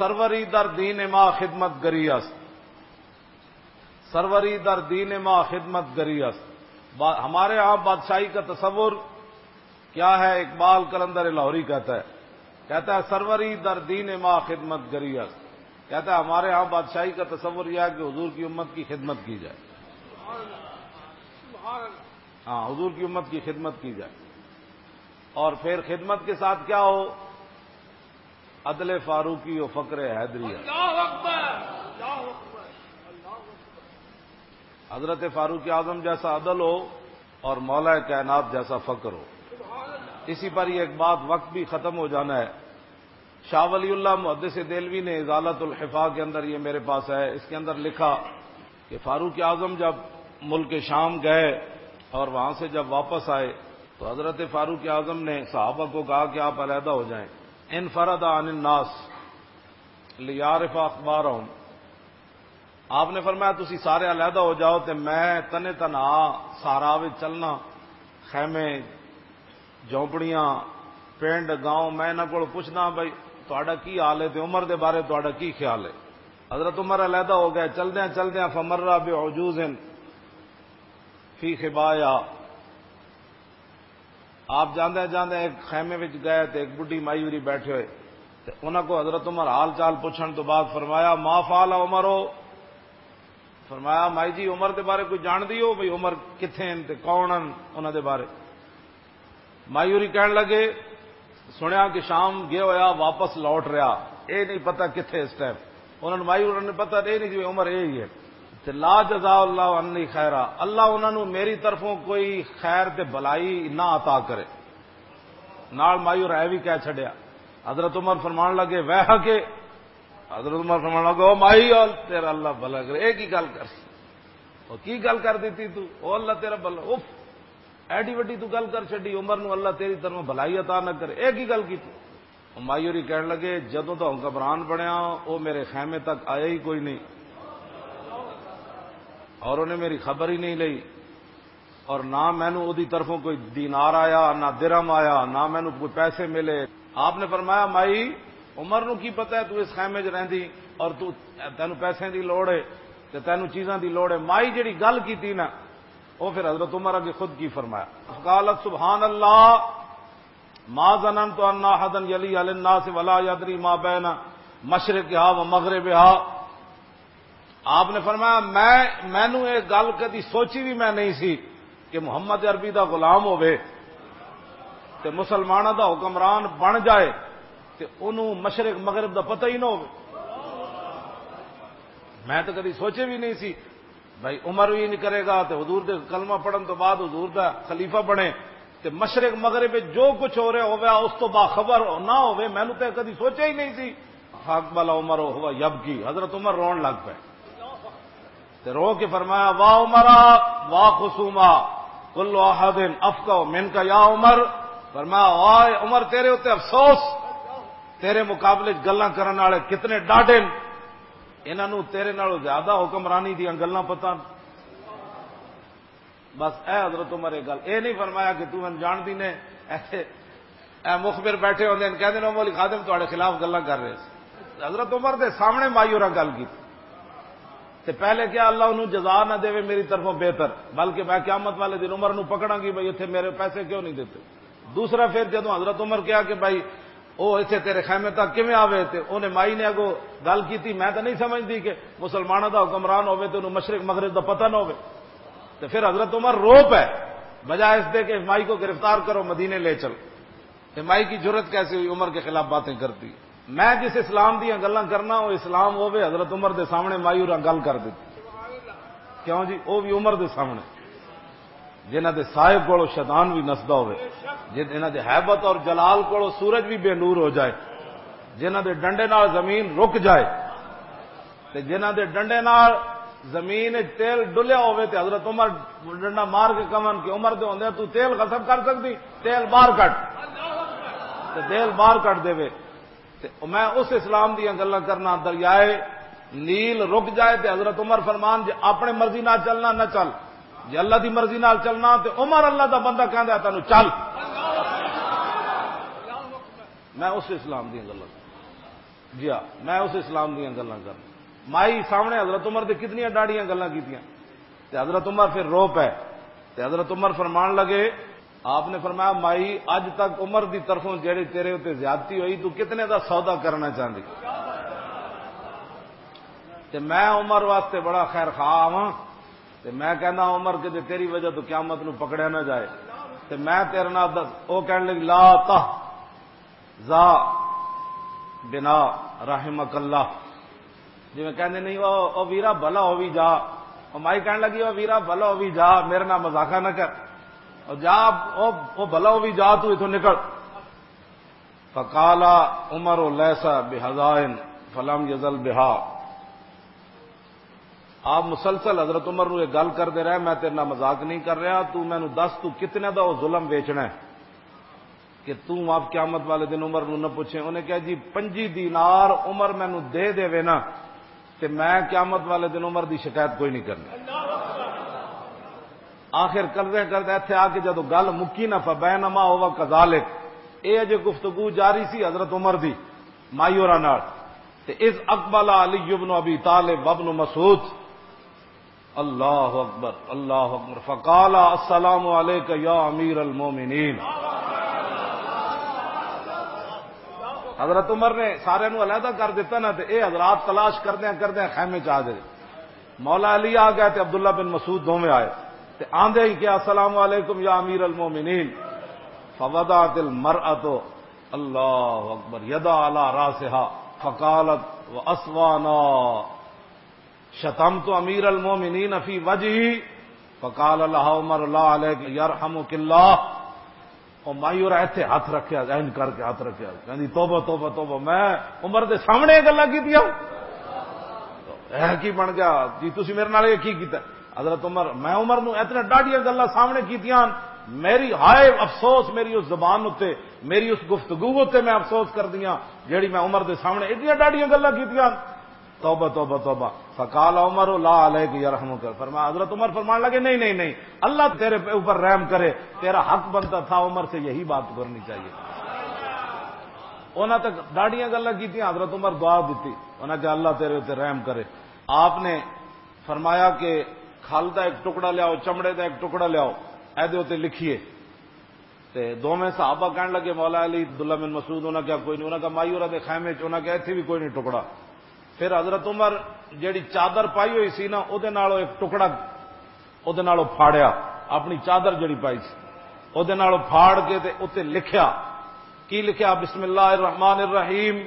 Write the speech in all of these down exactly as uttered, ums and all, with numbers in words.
سروری در دین ما خدمت گری است۔ سروری در دین ما خدمت گری است۔ با-، ہمارے ہاں بادشاہی کا تصور کیا ہے؟ اقبال قلندر لاہوری کہتا ہے، کہتا ہے، "سروری در دین ما خدمت گری است۔" کہتا ہے، ہمارے ہاں بادشاہی کا تصور یہ ہے کہ حضور کی امت کی خدمت کی جائے۔ ہاں، حضور کی امت کی خدمت کی جائے۔ اور پھر خدمت کے ساتھ کیا ہو؟ عدل فاروقی و فقر حیدری ہے۔ اللہ اکبر، اللہ اکبر، اللہ اکبر۔ حضرت فاروق اعظم جیسا عدل ہو اور مولا کائنات جیسا فقر ہو۔ اسی پر یہ ایک بات، وقت بھی ختم ہو جانا ہے۔ شاہ ولی اللہ محدث دہلوی نے ازالت الحفا کے اندر، یہ میرے پاس ہے، اس کے اندر لکھا کہ فاروق اعظم جب ملک شام گئے اور وہاں سے جب واپس آئے تو حضرت فاروق اعظم نے صحابہ کو کہا کہ آپ علیحدہ ہو جائیں۔ انفرد عن الناس لیعرف اخبارہم۔ آپ نے فرمایا، "تسی سارے علیحدہ ہو جاؤ تے میں تنے تنہا صحرا وچ چلنا، خیمے، جھونپڑیاں، پنڈ، گاؤں، میں انہاں کول پوچھدا بھائی تہاڈا کی حال ہے تے عمر دے بارے تہاڈا کی خیال ہے۔" حضرت عمر علیحدہ ہو گئے۔ چلدیاں چلدیاں فمر بعجوز فی خبایا۔ آپ جاندے جاندے ایک خیمے وچ گئے تے ایک بڈھی مائی ہوری بیٹھے ہوئے، تے انہاں کو حضرت عمر حال چال پوچھن تو بعد فرمایا، "ما فعل عمر ہو؟" فرمایا، "مائی جی، عمر دے بارے کوئی جان دی ہو بھئی عمر کتھے ہیں تے کون ہیں انہاں دے بارے؟" مائی ہوری کہن لگے، سنیا کہ شام گیا ہویا، واپس لوٹ رہا، اے نہیں پتہ کتھے اس ٹائم۔ انہاں نوں مائی ہوراں نے پتہ نہیں، نہیں جی عمر اے ہی ہے۔ تے لا جزا اللہ عنی خیرا، اللہ انہاں نوں میری طرفوں کوئی خیر تے بھلائی نہ عطا کرے۔ نال مائی ہور اے بھی کہہ چھڈیا۔ حضرت عمر فرمان لگے، "ویحک۔" حضرت عمر فرمان لگے، "او مائی، او تیرا اللہ بھلا کرے، اے کی گل کر سی؟ او کی گل کر دیتی تو؟ او اللہ تیرا بھلا، اف، ایڈی وڈی تو گل کر چھڈی، عمر نو اللہ تیری طرفوں بھلائی عطا نہ کرے، اے کی گل کیتی؟" او مائی ہوری کہن لگے، "جدوں دا حکمران بنیا، او میرے خیمے تک آیا ہی کوئی نہیں، اور انہیں میری خبر ہی نہیں لئی۔" اور نہ مینوں اودی طرفوں کوئی دینار آیا، نہ درہم آیا، نہ مینوں کوئی پیسے ملے۔ آپ نے فرمایا، "مائی، عمر نو کی پتہ ہے تو اس خیمے 'چ رہندی اور تو، تینوں پیسے دی لوڑ ہے تے تینوں چیزاں دی لوڑ ہے۔" مائی جڑی گل کیتی نا، او پھر حضرت عمر اگے خود کی فرمایا۔ قالت، "سبحان اللہ، ما ظننت ان احدا یلی علی الناس ولا یدری ما بین مشرقها و مغربها۔" آپ نے فرمایا، میں، مینوں یہ گل کدی سوچی بھی میں نہیں سی کہ محمد عربی دا غلام ہوے تے مسلماناں دا حکمران بن جائے تے انہوں مشرق مغرب دا پتہ ہی نہ ہوے۔ میں تو کدی سوچے بھی نہیں سی بھائی عمر بھی نہیں کرے گا تے حضور دے کلمہ پڑھن تو بعد حضور دا خلیفہ بنے تے مشرق مغرب وچ جو کچھ ہو رہا ہوے اس تو باخبر نہ ہوے، مینوں تے کدی سوچا ہی نہیں سی۔ فاقبل عمر وهو یبکی، حضرت عمر رون لگ پے۔ تے رو کے فرمایا، "واہ عمر، واہ خصوما، کل احد افقہ منک یا عمر۔" فرمایا، "واہ عمر، تیرے اُتے افسوس، تیرے مقابلے وچ گلاں کرن والے کتنے ڈاڈے نے، انہاں نوں تیرے نالوں زیادہ حکمرانی دیاں گلاں پتہ نے۔" بس اے حضرت عمر ایک گل اے نہیں فرمایا کہ تو مینوں جان دی نے، ایسے اے مخبر بیٹھے ہوندے نے، کہندے نے، "مولوی خادم تہاڈے خلاف گلاں کر رہے سی۔" حضرت عمر دے سامنے مائی ہوراں گل کی۔ تے پہلے کیا اللہ انہوں جزا نہ دے میری طرفوں بہتر، بلکہ میں قیامت والے دن عمر نو پکڑاں گی، "بھائی اتھے میرے پیسے کیوں نہیں دیتے؟" دوسرا پھر جدوں حضرت عمر کہا کہ، "بھائی او اتھے تیرے خیمے تک کیویں آوے؟" تے انہیں مائی نے اگوں گل کیتی، "میں تو نہیں سمجھدی کہ مسلماناں دا حکمران ہوے تے انہوں مشرق مغرب دا پتہ نہ ہوے۔" تے پھر حضرت عمر رو پے، بجائے اس دے کہ مائی کو گرفتار کرو، مدینے لے چل۔ تے مائی کی جرت کیسے ہوئی عمر کے خلاف باتیں کرتی؟ میں جس اسلام دیاں گلاں کرنا، وہ اسلام ہوے، حضرت عمر دے سامنے مائی ہوراں گل کر دیتی۔ کیوں جی؟ وہ بھی عمر دے سامنے، جنہاں دے سائے کولوں شیطان بھی نسدا ہوے، جنہاں دے ہیبت اور جلال کولوں سورج بھی بے نور ہو جائے، جنہاں دے ڈنڈے نال زمین رک جائے، تے جنہاں دے ڈنڈے نال زمین وچ تیل ڈلیا ہوے تے حضرت عمر ڈنڈا مار کے کمن کہ، "عمر دے ہوندے تو تیل غصب کر سکدی؟ تیل باہر کٹ۔" تے تیل باہر کٹ دے وے۔ تے میں اس اسلام دیاں گلاں کرنا، دریائے نیل رک جائے تے حضرت عمر فرمان، "جے اپنے مرضی نال چلنا نہ چل، جے اللہ دی مرضی نال چلنا۔" تے عمر اللہ دا بندہ کہندا ہے، "تینوں چل۔" میں اس اسلام دیاں گلاں جی ہاں، میں اس اسلام دیاں گلاں کرنا۔ مائی سامنے حضرت عمر دے کتنیاں ڈاڑیاں گلاں کیتیاں، تے حضرت عمر پھر رو پے۔ تے حضرت عمر فرمان لگے، آپ نے فرمایا، "مائی، اج تک عمر دی طرفوں جیڑی تیرے اُتے زیادتی ہوئی، تو کتنے دا سودا کرنا چاہندی؟" تے میں عمر واسطے بڑا خیر خواہ ہاں۔ تے میں کہنا، "عمر، کہ تیری وجہ تو قیامت نو پکڑیا نہ جائے۔" تے میں تیرے نال دس، او کہن لگی، "لا تہ زا بنا، رحمک اللہ۔" جی میں کہندے نہیں، "او، او ویرا بھلا ہووی جا۔" او مائی کہن لگی، "او ویرا بھلا ہووی جا، میرے نال مذاقہ نہ کر۔ او جا، او، او بھلا ہووی جا، تو اتھوں نکل۔" فقال عمر: "لیس بحذائن"، فلم یزل بہا۔ آپ مسلسل حضرت عمر نو یہ گل کردے رہے، "میں تیرے نال مذاق نہیں کر رہا، تو مینوں دس، تو کتنے دا وہ ظلم ویچنا ہے کہ تو آپ قیامت والے دن عمر نو نہ پوچھیں؟" انہیں کہا، "جی، پنجی دینار عمر مینوں دے دے نا، تے میں قیامت والے دن عمر دی شکایت کوئی نہیں کرنی۔" آخر کردے کردے ایتھے آ کے جدوں گل مکی نہ، فبینما ہوا کذالک، اے اجے گفتگو جاری سی حضرت عمر دی مائی ہوراں نال، تے اذ اقبل علی ابن ابی طالب وابن مسعود، اللہ اکبر، اللہ اکبر، فقال: "السلام علیک یا امیر المومنین۔" حضرت عمر نے سارے نو علیحدہ کر دیتا نا، تے اے حضرات تلاش کردیاں کردیاں خیمے چ آ گئے۔ مولا علی آ گئے تے عبداللہ بن مسعود دوویں آئے، تے آندے ہی کہا، "السلام علیکم یا امیر المومنین۔" فوضعت المرأة، اللہ اکبر، یدا علی راسها فقالت: "واسوانا، شتمت امیر المومنین فی وجهه؟" فقال لها عمر: "لا علیک، یرحمک اللہ۔" او مائی اور ایتھے ہاتھ رکھیا، این کر کے ہاتھ رکھیا، کہندی، "توبہ، توبہ، توبہ، میں عمر دے سامنے یہ گلاں کیتیاں۔" اے کی بن گیا جی، تسی میرے نال یہ کی کیتا؟ حضرت عمر، میں عمر نو اتنے ڈاڈیاں گلاں سامنے کیتیاں، میری ہائے افسوس میری اس زبان اتے، میری اس گفتگو اتے میں افسوس کر دیاں، جیڑی میں عمر دے سامنے ایڈیاں ڈاڈیاں گلاں کیتیاں۔ توبہ، توبہ، توبہ۔ فقال عمر: "لا علیک یرحمک۔" فرمایا، حضرت عمر فرمان لگے، "نہیں، نہیں، نہیں، اللہ تیرے پہ اوپر رحم کرے، تیرا حق بنتا تھا، عمر سے یہی بات کرنی چاہیے۔" انہاں تک ڈاڈیاں گلاں کیتیاں، حضرت عمر دعا دیتی، انہاں کہ اللہ تیرے تے رحم کرے۔ آپ نے فرمایا کہ کھل دا ایک ٹکڑا لیاؤ، چمڑے دا ایک ٹکڑا لیاؤ، اے دے اتے لکھیے۔ تے دوویں صحابہ کہن لگے، "مولا علی، عبداللہ بن مسعود"، انہاں کہا، "کوئی نہیں۔" انہاں کہا، "مائی ہوراں دے خیمے چ"، انہاں کہا، "ایتھے بھی کوئی نہیں ٹکڑا۔" پھر حضرت عمر جیڑی چادر پائی ہوئی سی نا، اودے نالوں ایک ٹکڑا اودے نالوں پھاڑیا، اپنی چادر جیڑی پائی سی، اودے نالوں پھاڑ کے تے اُتے لکھیا۔ کی لکھیا؟ "بسم اللہ الرحمن الرحیم۔"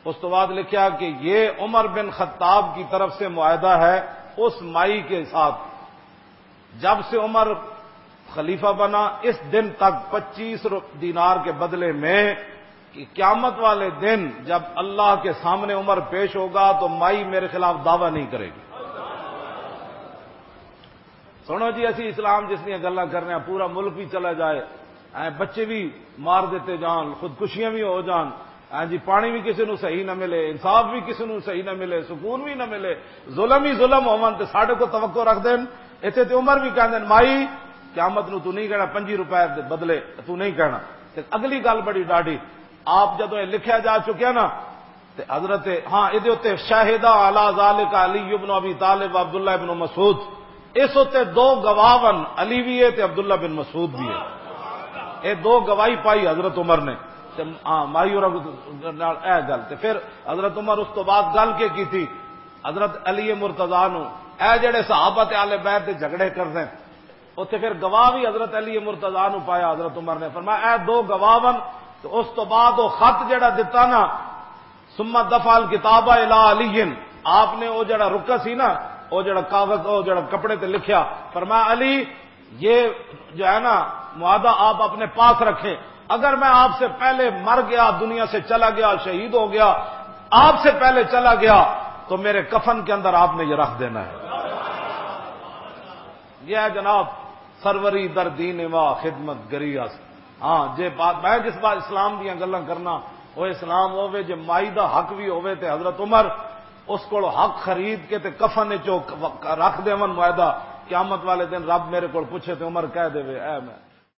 اس تو بعد لکھیا کہ یہ عمر بن خطاب کی طرف سے معاہدہ ہے اس مائی کے ساتھ، جب سے عمر خلیفہ بنا، اس دن تک پچیس رو-، دینار کے بدلے میں، کہ قیامت والے دن جب اللہ کے سامنے عمر پیش ہوگا تو مائی میرے خلاف دعویٰ نہیں کرے گی۔ سنو جی، اسی اسلام جس دیاں گلاں کرنے ہیں، پورا ملک بھی چلا جائے، اے بچے بھی مار دیتے جان، خودکشیاں بھی ہو جان، ہاں جی، پانی بھی کسی نو صحیح نہ ملے، انصاف بھی کسی نو صحیح نہ ملے، سکون بھی نہ ملے، ظلم ہی ظلم ہون تے ساڈے کو توقع رکھ دین۔ ایتھے تے عمر بھی کہندے نے، "مائی، قیامت نو تو نہیں کہنا، پنجی روپے دے بدلے تو نہیں کہنا۔" تے اگلی گل بڑی ڈاڈی، آپ جدوں یہ لکھیا جا چکیا نا، تے حضرت، ہاں، اے دے اُتے شاہدہ علی ذالک علی ابن ابی طالب و عبداللہ ابن مسعود، اس اُتے دو گواہ ون، علی بھی ہے تے عبداللہ بن مسعود بھی ہے۔ اے دو گواہی پائی حضرت عمر نے۔ تے، ہاں، مائی اور نال اے گل۔ تے پھر حضرت عمر اس تو بعد گل کے کیتی؟ حضرت علی مرتضی نو، اے جڑے صحابہ تے آل بیت دے جھگڑے کردے، اوتھے پھر گواہ بھی حضرت علی مرتضی نو پایا۔ حضرت عمر نے فرمایا، "اے دو گواہ ون۔" تے اس تو بعد وہ خط جڑا دتا نا، "ثم دفع الکتاب الی علی"، آپ نے وہ جڑا رکا سی نا، وہ جڑا کاغذ، وہ جڑا کپڑے تے لکھیا، فرمایا، "علی، یہ جو ہے نا معاہدہ، آپ اپنے پاس رکھیں۔ اگر میں آپ سے پہلے مر گیا، دنیا سے چلا گیا، شہید ہو گیا، آپ سے پہلے چلا گیا، تو میرے کفن کے اندر آپ نے یہ رکھ دینا ہے۔" یہ ہے جناب، سروری در دین ما خدمت گری است۔ ہاں، جے بات، میں جس بات اسلام دیاں گلاں کرنا، وہ اسلام ہووے، جے مائی دا حق بھی ہووے تے حضرت عمر اس کول حق خرید کے تے کفن وچ رکھ دیون معاہدہ، قیامت والے دن رب میرے کول پوچھے تے عمر کہہ دے، "اے میں۔"